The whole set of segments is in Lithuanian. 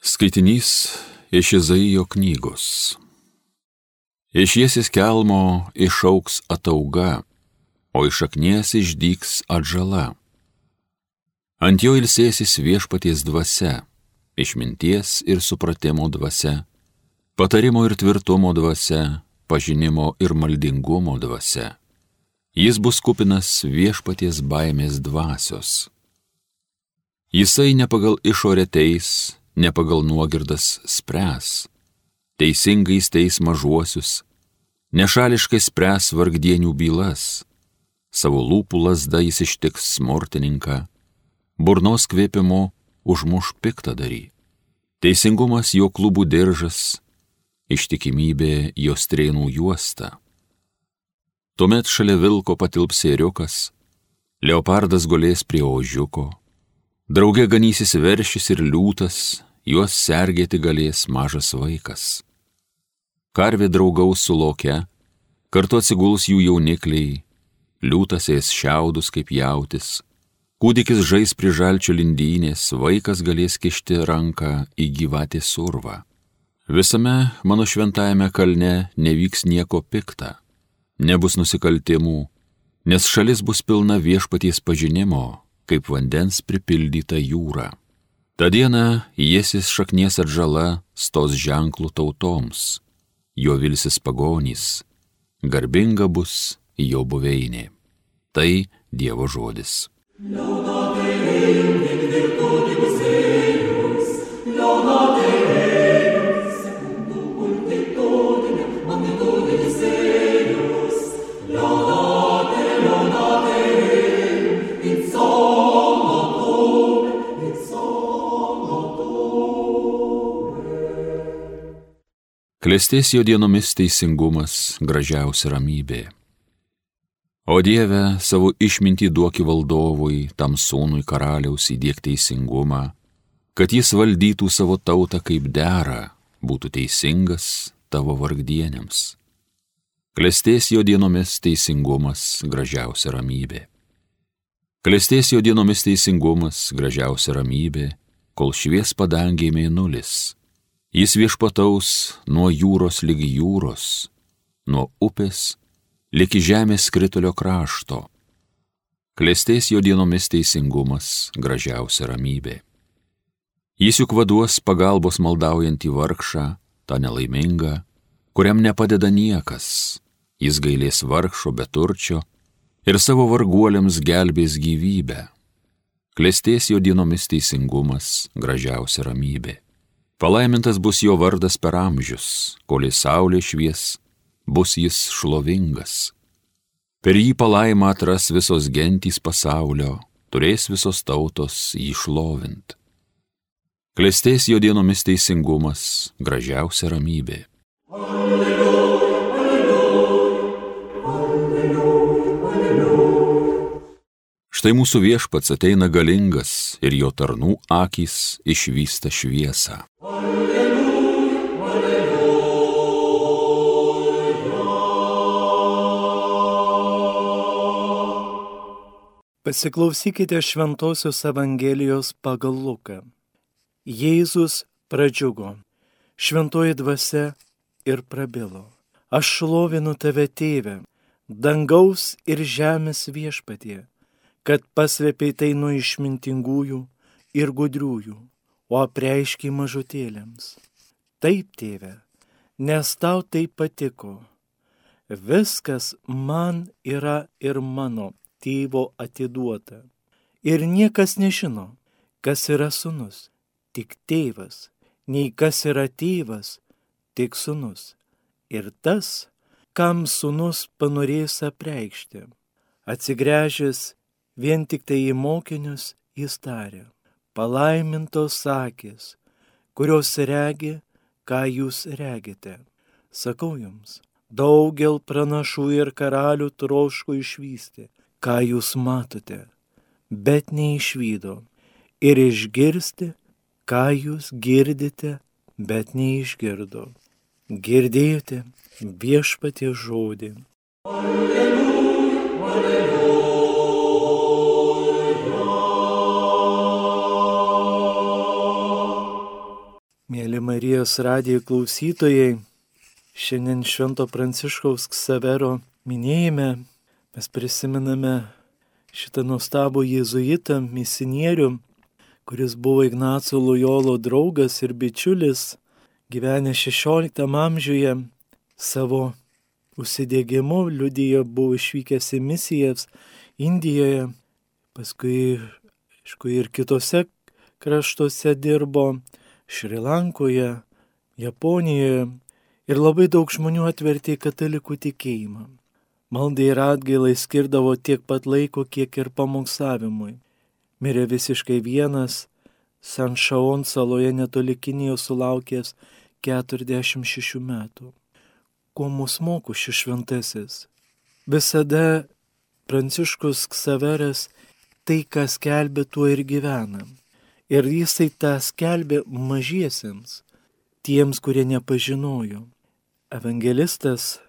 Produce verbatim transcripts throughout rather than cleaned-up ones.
Skaitinys iš Izaijo knygos. Iš Jėzės kelmo išauks atauga, o iš šaknies išdygs atžala. Ant jo ilsėsis viešpaties dvasia, išminties ir supratimo dvasia, patarimo ir tvirtumo dvasia, pažinimo ir maldingumo dvasia. Jis bus kupinas viešpaties baimės dvasios. Jisai ne pagal išorę teis, ne pagal nuogirdas spręs, teisingais teis mažuosius, nešališkai spręs vargdienių bylas, savo lūpų lazda jis ištiks smurtininką, burnos kvėpimu užmuš piktadarį. Teisingumas jo klubų diržas, ištikimybė jo strėnų juosta. Tuomet šalia vilko patilps ėriukas, leopardas gulės prie ožiuko, drauge ganysis veršis ir liūtas, juos sergėti galės mažas vaikas. Karvė draugaus su loke, kartu atsiguls jų jaunikliai, liūtas ės šiaudus kaip jautis, kūdikis žais prie žalčio lindynės, vaikas galės kišti ranką į gyvatės urvą. Visame mano šventajame kalne nevyks nieko pikta, nebus nusikaltimų, nes šalis bus pilna viešpaties pažinimo, kaip vandens pripildyta jūra. Ta diena Jėzės šaknies atžala stos ženklų tautoms, jo vilsis pagonys, garbinga bus jo buveinė. Tai Dievo žodis. Klestės jo dienomis teisingumas, gražiausia ramybė. O Dieve, savo išmintį duoki valdovui, tam sūnui karaliaus įdiek teisingumą, kad jis valdytų savo tautą kaip dera, būtų teisingas tavo vargdieniams. Klestės jo dienomis teisingumas, gražiausia ramybė. Klestės jo dienomis teisingumas, gražiausia ramybė, kol švies padangėj mėnulis. Jis viešpataus nuo jūros lygi jūros, nuo upės lygi žemės skritulio krašto. Klestės jo dienomis teisingumas, gražiausia ramybė. Jis juk vaduos pagalbos maldaujantį vargšą, tą nelaimingą, kuriam nepadeda niekas. Jis gailės vargšo beturčio ir savo varguoliams gelbės gyvybę. Klestės jo dienomis teisingumas, gražiausia ramybė. Palaimintas bus jo vardas per amžius, kol į saulė švies, bus jis šlovingas. Per jį palaimą atras visos gentys pasaulio, turės visos tautos jį šlovint. Klestės jo dienomis teisingumas, gražiausia ramybė. Alleluja, alleluja, alleluja, alleluja. Štai mūsų viešpats ateina galingas ir jo tarnų akys išvysta šviesą. Pasiklausykite Šventosios Evangelijos pagal Luką. Jėzus pradžiugo, šventoji dvasia ir prabilo. Aš šlovinu tave, Tėve, dangaus ir žemės viešpatie, kad paslėpei tai nuo išmintingųjų ir gudriųjų, o apreiškiai mažutėlėms. Taip, Tėve, nes tau tai patiko. Viskas man yra ir mano Tėvo atiduota. Ir niekas nežino, kas yra sūnus, tik tėvas, nei kas yra tėvas, tik sūnus. Ir tas, kam sūnus panorės apreikšti. Atsigręžęs vien tik tai į mokinius, jis tarė: palaimintos akys, kurios regi, ką jūs regite. Sakau jums, daugel pranašų ir karalių troško išvysti, ką jūs matote, bet neišvydo, ir išgirsti, ką jūs girdite, bet neišgirdo. Girdėjote viešpaties žodį. Alleluja, alleluja. Mėly Marijos radijo klausytojai, šiandien Švento Pranciškaus Ksavero minėjime mes prisimename šitą nuostabų jėzuitą, misionierių, kuris buvo Ignaco Lojolo draugas ir bičiulis, gyvenęs šešioliktam amžiuje, savo užsidėgymu liudijo, buvo išvykęs į misijas Indijoje, paskui, aišku, ir kitose kraštuose dirbo, Šri Lankoje, Japonijoje, ir labai daug žmonių atvertė į katalikų tikėjimą. Maldai ir atgailai skirdavo tiek pat laiko, kiek ir pamokslavimui. Mirė visiškai vienas, San Šaon saloje netoli Kinijos sulaukęs keturiasdešimt šešių metų. Ko mus moko šis šventasis? Visada Pranciškus Ksaveras tai, ką skelbė, tuo ir gyvena. Ir jisai tą skelbė mažiesiems, tiems, kurie nepažinojo. Evangelistas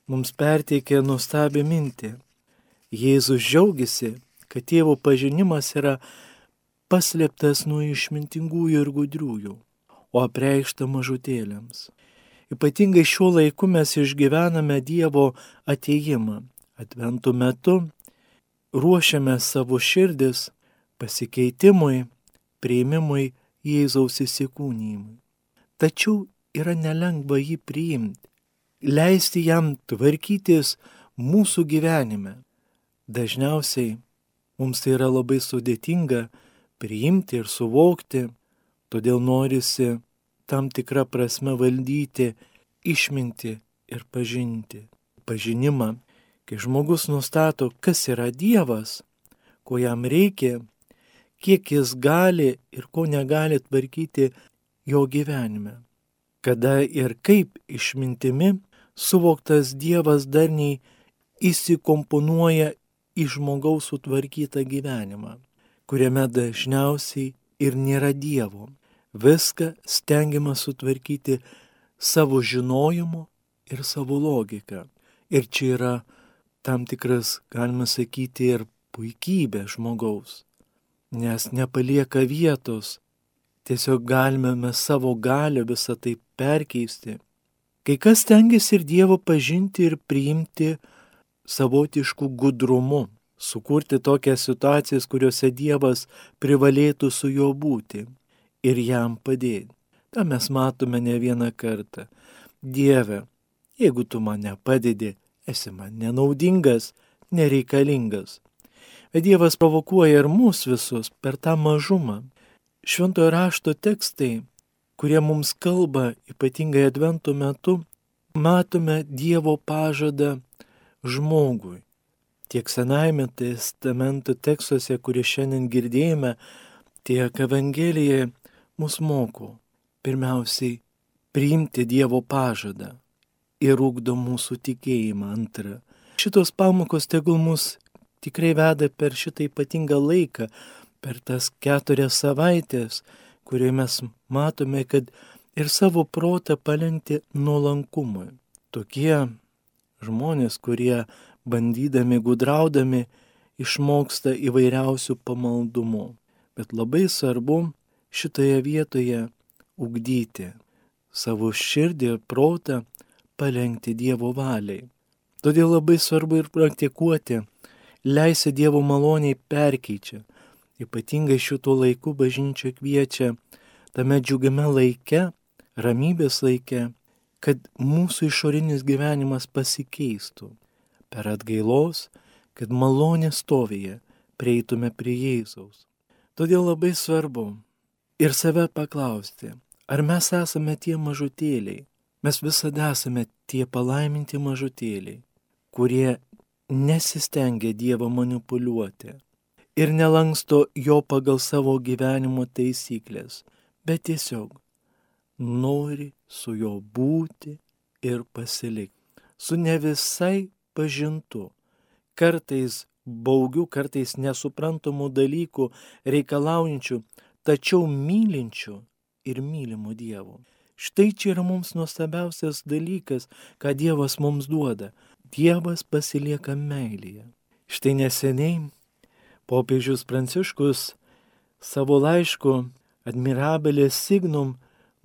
mums perteikė nuostabią mintį. Jėzus džiaugiasi, kad tėvo pažinimas yra paslėptas nuo išmintingųjų ir gudriųjų, o apreikšta mažutėliams. Ypatingai šiuo laiku mes išgyvename Dievo atėjimą. Adventų metu ruošiame savo širdis pasikeitimui, priėmimui Jėzaus įsikūnijimui. Tačiau yra nelengva jį priimti, leisti jam tvarkytis mūsų gyvenime. Dažniausiai mums tai yra labai sudėtinga priimti ir suvokti, todėl norisi tam tikrą prasme valdyti, išminti ir pažinti. Pažinimą, kai žmogus nustato, kas yra Dievas, ko jam reikia, kiek jis gali ir ko negali tvarkyti jo gyvenime. Kada ir kaip išmintimi suvoktas Dievas darniai įsikomponuoja į žmogaus sutvarkytą gyvenimą, kuriame dažniausiai ir nėra Dievo. Viską stengiama sutvarkyti savo žinojimu ir savo logika. Ir čia yra tam tikras, galima sakyti, ir puikybė žmogaus. Nes nepalieka vietos, tiesiog galime mes savo galią visą tai perkeisti. Kai kas stengiasi ir Dievo pažinti ir priimti savotiškų gudrumu, sukurti tokias situacijas, kuriuose Dievas privalėtų su juo būti ir jam padėti. Ta mes matome ne vieną kartą. Dieve, jeigu tu man nepadedi, esi man nenaudingas, nereikalingas. Bet Dievas provokuoja ir mus visus per tą mažumą. Šventojo rašto tekstai, kurie mums kalba, ypatingai Advento metu, matome Dievo pažadą žmogui. Tiek Senajame testamento tekstuose, kurie šiandien girdėjome, tiek Evangelijoje mus moko pirmiausiai priimti Dievo pažadą ir ugdo mūsų tikėjimą. Antra, šitos pamokos tegul mus tikrai veda per šitą ypatingą laiką, per tas keturias savaitės, kurioje mes matome, kad ir savo protą palenkti nuolankumui. Tokie žmonės, kurie bandydami, gudraudami, išmoksta įvairiausių pamaldumų. Bet labai svarbu šitoje vietoje ugdyti savo širdį ir protą, palenkti Dievo valiai. Todėl labai svarbu ir praktikuoti, leisi Dievo maloniai perkeičia. Ypatingai šituo laiku bažnyčia kviečia tame džiugiame laike, ramybės laike, kad mūsų išorinis gyvenimas pasikeistų. Per atgailos, kad malonės stovėje prieitume prie Jėzaus. Todėl labai svarbu ir save paklausti, ar mes esame tie mažutėliai. Mes visada esame tie palaiminti mažutėliai, kurie nesistengia Dievą manipuliuoti ir nelanksto jo pagal savo gyvenimo taisyklės, bet tiesiog nori su juo būti ir pasilikti. Su ne visai pažintu, kartais baugių, kartais nesuprantamų dalykų reikalaujančių, tačiau mylinčių ir mylimų Dievo. Štai čia yra mums nuostabiausias dalykas, ką Dievas mums duoda. Dievas pasilieka meilėje. Štai neseniai popiežius Pranciškus savo laišku Admirabilis Signum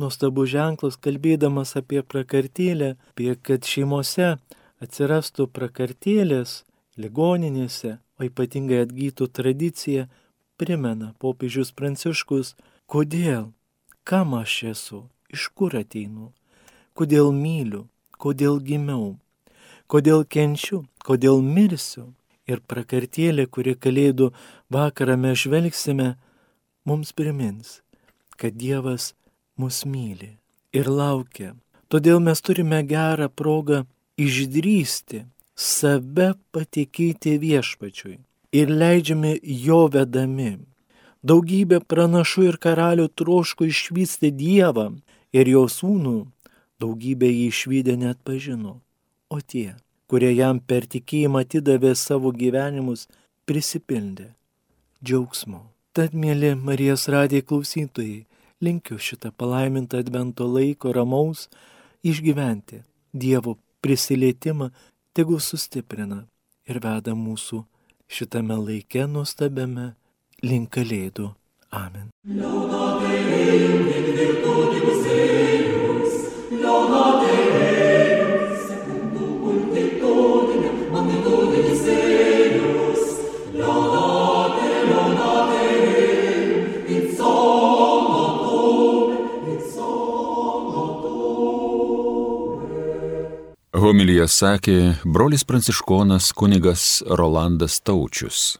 nuostabus ženklas, kalbėdamas apie prakartėlę, apie kad šeimose atsirastų prakartėlės, ligoninėse, o ypatingai atgytų tradicija, primena popiežius Pranciškus, kodėl, kam aš esu, iš kur ateinu, kodėl myliu, kodėl gimiau, kodėl kenčiu, kodėl mirsiu. Ir prakartėlė, kuri Kalėdų vakarą mes žvelgsime, mums primins, kad Dievas mus myli ir laukia. Todėl mes turime gerą progą išdrįsti save patikėti Viešpačiui ir leidžiame jo vedami. Daugybė pranašų ir karalių troško išvysti Dievą ir jo sūnų, daugybė jį išvydę net pažino, o tie, kurie jam per tikėjimą atidavė savo gyvenimus, prisipildė džiaugsmo. Tad, mėly Marijos radijo klausytojai, linkiu šitą palaimintą advento laiko ramaus išgyventi. Dievo prisilietimą tegu sustiprina ir veda mūsų šitame laike nuostabiame link Kalėdų. Amen. Homiliją sakė brolis pranciškonas kunigas Rolandas Taučius.